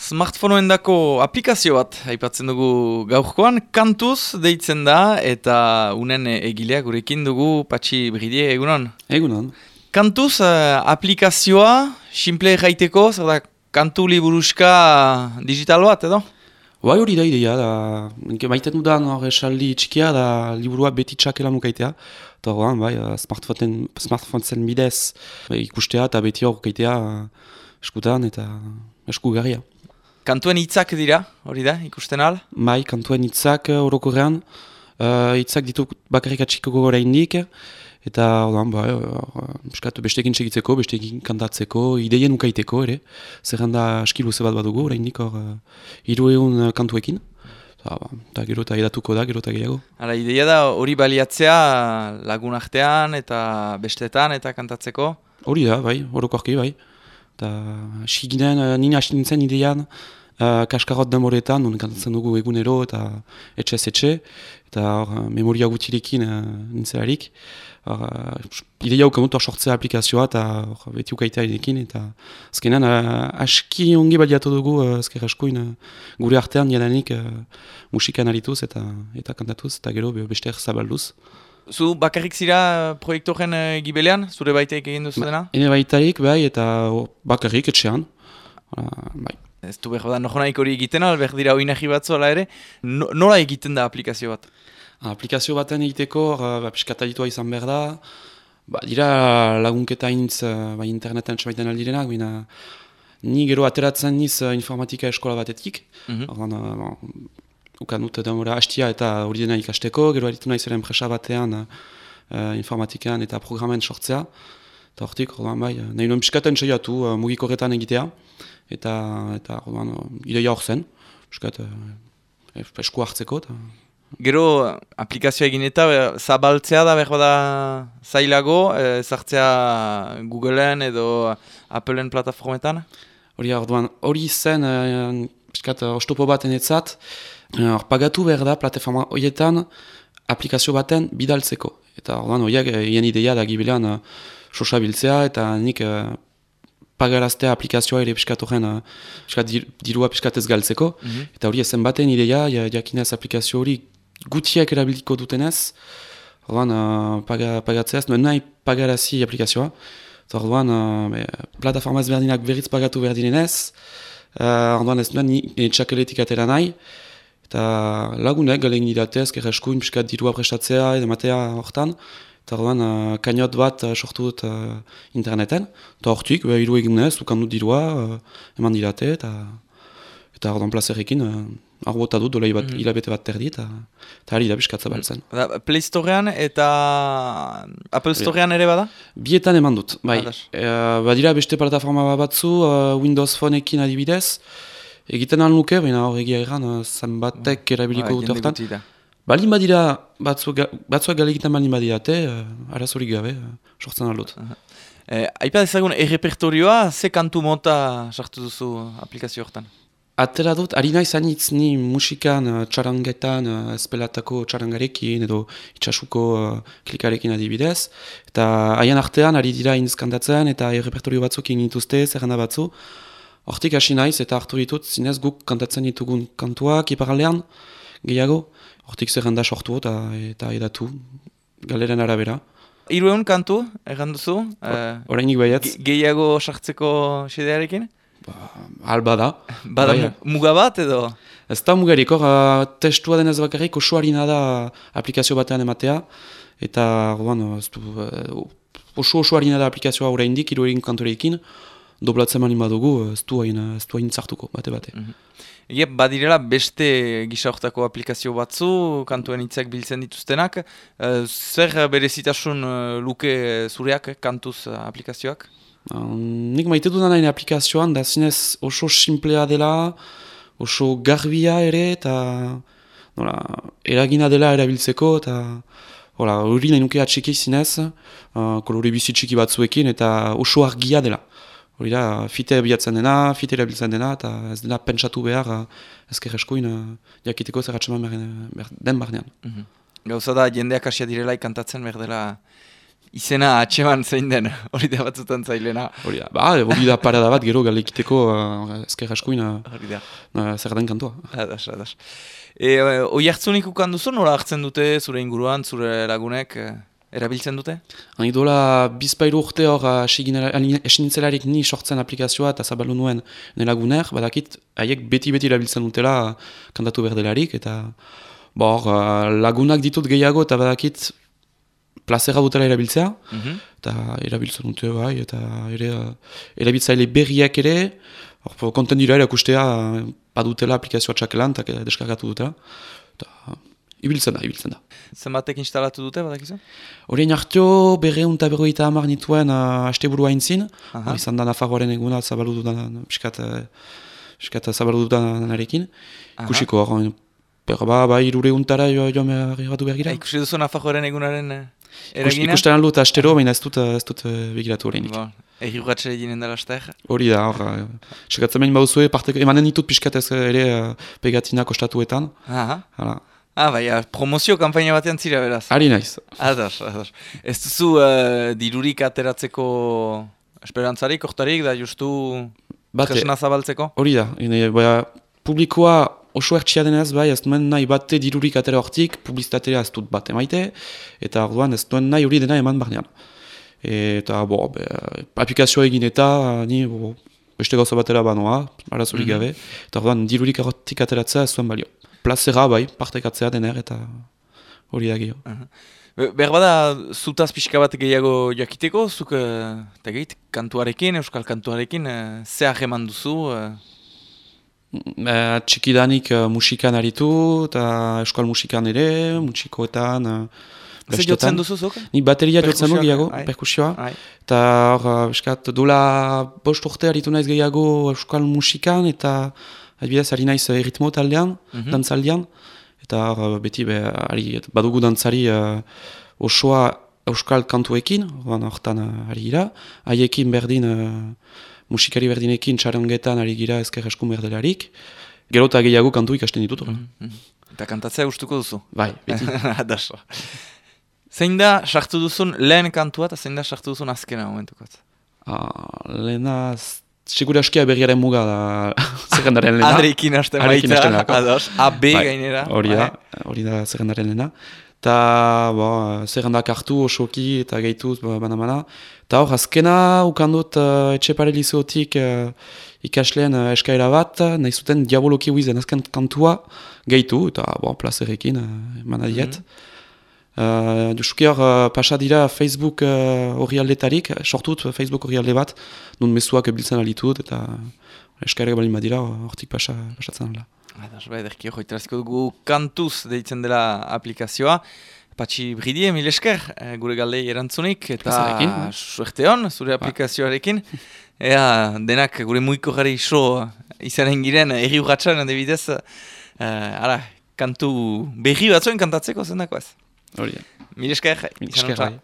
Smartphoneen-dako aplikazio bat aipatzen dugu gaurkoan, Kantuz deitzen da eta unen egilea gurekin dugu Patxi Bridie, egunon? Egunon. Kantuz aplikazioa, simple jaiteko, zer da, kantu liburuska digital bat edo? Bai hori da ideia, maiten dudan hor esaldi txikia da liburua beti txakela nukaitea. Eta horrean, bai, smartphone-zen bidez ikustea eta beti hor kaitea eskutan eta eskugarria. Kantuen hitzak dira, hori da, ikusten al? Bai, kantuen hitzak orokorrean, hitzak ditu bakarrik atxiko gora indik, eta ordan, bai, bestekin segitzeko, bestekin kantatzeko, ideien ukaiteko ere, zerrenda aski luze bat badugu, oraindik hor 300 kantuekin, eta gero eta edatuko da, gero eta gehiago. Hala, ideia da hori baliatzea lagun artean eta bestetan eta kantatzeko? Hori da, bai, orokorki, bai. Eta ginen, nina hasi nintzen idean kaskarot demoretan, non kantatzen dugu egunero eta etxe, eta memoria gutirekin nintzelarik. Ideia ukamut hor sortzea aplikazioa eta beti ukaitea edekin, eta azkenean aski ongi baliatu dugu azker askoin gure artean jadanik musikan arituz eta kantatuz, eta gero beste zabalduz. Zu bakarrik zira proiektoren gibelean, zure baitaik egin duzu dena? Ene baitaik, bai, eta bakarrik etxean. Bai. Ez du behar da, nojonaik hori egiten, behar dira oinagi batzu ala ere. Nola egiten da aplikazio bat? Aplikazio baten egiteko, piskatalitua izan behar da. Dira lagunketa intz interneten txabaiten aldirenak, baina ni gero ateratzen niz informatika eskola batetik. Ukan dut demora hastia eta hori dena ikasteko, gero aritu nahi zeren enpresa batean informatikan eta programen sortzea. Eta hortik, bai, nahi nuen piskaten saiatu mugiko horretan egitea. Eta ideia hor zen, piskat esku hartzeko. Gero aplikazioa egin eta zabaltzea da behar da zailago, zartzea Googleen edo Appleen plataformetan? Hori zen, piskat ostopo baten etzat, pagatu behar da plataforma horietan aplikazio baten bidaltzeko. Eta horiek hien ideia da gibelean sosa biltzea eta nik pagaraztea aplikazioa ere piskat horren dirua piskat ez galtzeko. Eta hori ezen baten ideia, jakinez aplikazio hori gutiak erabiliko dutenez, pagatzea ez, nuen nahi pagarazi aplikazioa. Eta plataforma ezberdinak berriz pagatu berdinenez, ez nuen txakeletik atera nahi. Eta lagunek galegin didate ezker eskuin piskat dirua prestatzea edo matea hortan. Eta kainot bat sortu dut interneten. Eta hortik, hiru eginez, dukandut dirua, eman didate. Eta ordan plazerrekin, arbota dut, dola hilabete bat terdi, eta hari da piskat zabaltzen. Play Storean eta Apple Storean ere bada? Bietan eman dut, bai. Badira beste plataforma batzu, Windows Phoneekin adibidez. Egiten alnuke, baina hor egia egan, zanbatek erabiliko dut hortan. Balin badira, batzuak galegitan balin badirate, arazorik gabe, sortzen aldut. Aipa dezagun, errepertorioa, ze kantu mota sartu duzu aplikazio hortan? Atera dut, ari nahi zanitz ni musikan, txarangetan, espelatako txarangarekin edo itxasuko klikarekin adibidez. Eta haien artean, ari dira inzkandatzen eta errepertorio batzuk egin dituzte, zerrenda batzu. Hortik hasi naiz eta hartu ditut, zinez guk kantatzen ditugun kantuak iparaldean, gehiago. Hortik zerrenda sortu eta edatu, galeren arabera. 300 kantu, egan duzu? Horreinik baietz. Gehiago sartzeko xedearekin? Alba da. Bada muga bat edo? Ez da mugarik, testua denez bakarrik osoarina da aplikazio batean ematea. Eta osoarina da aplikazioa oraindik 300 kantorekin. Doblatzen mani badugu, ez du hain zartuko, bate. Badirela beste gisa hortako aplikazio batzu, kantuen hitzak biltzen dituztenak. Zer berezitasun luke zureak, kantuz aplikazioak? Nik maite dudan hain aplikazioan, da zinez oso simplea dela, oso garbia ere, eta eragina dela erabiltzeko, eta hori nahi nuke atxiki zinez, kolore bizitxiki batzuekin, eta oso argia dela. Hori da, fite bilatzen dena, fite erabiltzen dena, eta ez dena pentsatu behar ezker eskuin jakiteko zerratxeman den barnean. Gauza da, jendeak asia direla ikantatzen behar dela izena atxeman zein den, hori da batzutan zailena. Hori da parada bat gero galekiteko ezker askuin zer den kantua. Adas. Oi hartzunik ukan duzu, nola hartzen dute zure inguruan, zure lagunek erabiltzen dute? Dola bizpairu urte hor esinitzelarik ni sortzen aplikazioa eta zabalu nuen nelaguner, badakit haiek beti erabiltzen dutela kantatu berdelarik, eta lagunak ditut gehiago eta badakit plazera dutela erabiltzea, eta erabiltzen dute bai, eta erabiltzaile berriak ere, konten dira erakustea badutela aplikazioa txakelan, eta deskargatu dutela, eta ibiltzen da. Zenbatek instalatu dute, badakizu? Horien hartio, 250 nituen asteburua intzin, izan da Nafarroaren eguna zabalu dudan kusiko hor, irure untara joan behar gira. Ikusi duzu Nafarroaren egunaren eragina? Ikusten aldu eta astero, baina ez dut begiratu horreinik. Egi urratxere ginen dela aster? Hori da, sekatzen behin bauzue, emanen ditut pixkatez ere pegatinak ostatuetan. Baina, promozio kampaina batean zira beraz. Ari naiz. Ados. Ez duzu dirurik ateratzeko esperantzarik, oktarik, da justu tresna zabaltzeko? Hori da, publikoa oso ertsia denez, ez duen nahi bate dirurik atera hortik, publizitatea ez dut bat emaite, eta orduan ez duen nahi hori dena eman barnean. Eta, aplikazioa egin eta, ni beste gauza batera banoa, arazorik gabe, eta orduan dirurik hortik ateratzea ez duen balio. Plazera partekatzea dener eta hori da gehiago. Berbada, zutaz pixka bat gehiago jakiteko, zuk kantuarekin, euskal kantuarekin, zehar eman duzu? Txikidanik musikan aritu, eta euskal musikan ere, musikoetan, zer jotzen duzu zuk? Ni bateria jotzen du gehiago, perkusioa. Eta hor, dola 5 urte aritu naiz gehiago euskal musikan, eta adibidez, ari naiz ritmo taldean, dantzaldean, eta beti badugu dantzari osoa euskal kantuekin, hortan ari gira, haiekin berdin, musikari berdinekin txarangetan ari gira ezker eskun berdelarik, gero eta gehiago kantu ikasten ditut. Eta kantatzea gustuko duzu? Bai, beti. Adaso. Zein da sartu duzun lehen kantua eta zein da sartu duzun azkena momentukot? Lehena... Segura askia berriaren muga da zerrendaren lehena. Adreikin hasten baita, ados, AB gainera. Hori da zerrendaren lehena. Eta zerrendak hartu osoki eta gehituz bana-bana. Eta hor, azkena ukandut etxepare liceotik ikasleen eskaera bat, nahi zuten diaboloki huizen azken kantua gehitu, eta plazerekin manadiet. Justuki hor pasa dira Facebook horrialdetarik, sortut Facebook horrialde bat, nun mezuak biltzen alitut, eta eskaerek balin badira hortik pasatzen ala. Ederki hori teraziko dugu kantuz deitzen dela aplikazioa. Patxi Bridie, mil esker, gure galdei erantzunik, eta suerte hon, zure aplikazioarekin. Denak gure muiko gari iso izanen giren, erri urratxan, adibidez, kantu berri batzuen kantatzeko zendako ez. Hori da. Mil esker, izan